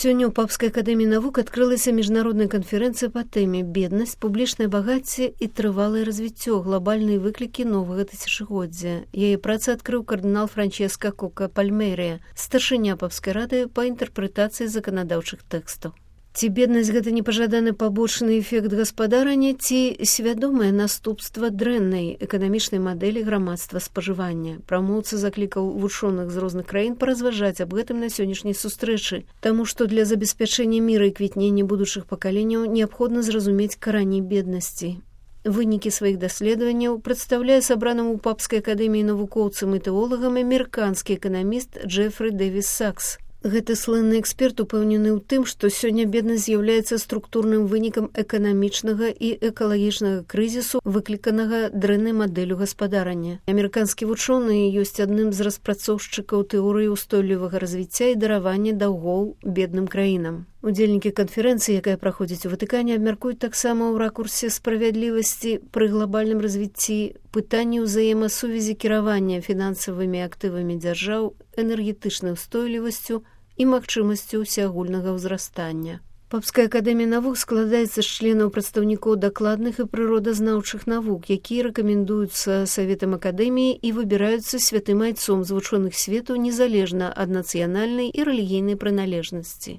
Сёння ў Папскай акадэміі навук адкрылася міжнародная канферэнцыя па тэме «Беднасць, публічнае багацце і трывалае развіццё. Глобальныя выклікі новага тысячагоддзя». Яе працы адкрыў кардынал Франческа Кока Пальмерыя, старшыня Папскай рады па інтэрпрэтацыі заканадаўчых тэкстаў. Ці беднасць гэта непажаданы пабочны эфект гаспадарання, ці свядомае наступства дрэннай эканамічнай мадэлі грамадства спажывання. Прамоўца заклікаў вучоных з розных краін паразважаць аб гэтым на сённяшняй сустрэчы, таму што для забеспячэння міра і квітнення будучых пакаленняў неабходна зразумець карані беднасці. Вынікі сваіх даследаванняў прадстаўляе сабраным у Папскай акадэміі навукоўцам і тэолагам амерыканскі эканаміст Джефры Дэвіс Сакс. Гэты слынны эксперт упэўнены ў тым, што сёння беднасць з'яўляецца структурным вынікам эканамічнага і экалагічнага крызісу, выкліканага дрэннай мадэллю гаспадарання. Амерыканскі вучоны ёсць адным з распрацоўшчыкаў тэорыі ўстойлівага развіцця і даравання даўгоў бедным краінам. Удзельнікі канферэнцыі, якая праходзіць у Ватыкане, абмяркуюць таксама ў ракурсе справядлівасці пры глобальным развіцці пытанні ўзаемасувязі кіравання фінансавымі актывамі дзяржаў, энергетычнай устойлівасцю і магчымасцю ўсеагульнага ўзрастання. Папская акадэмія навук складаецца з членаў прадстаўнікоў дакладных і прыродазнаўчых навук, якія рэкамендуюцца Саветам акадэміі і выбіраюцца святым айцом з вучоных свету незалежна ад нацыянальнай і рэлігійнай прыналежнасці.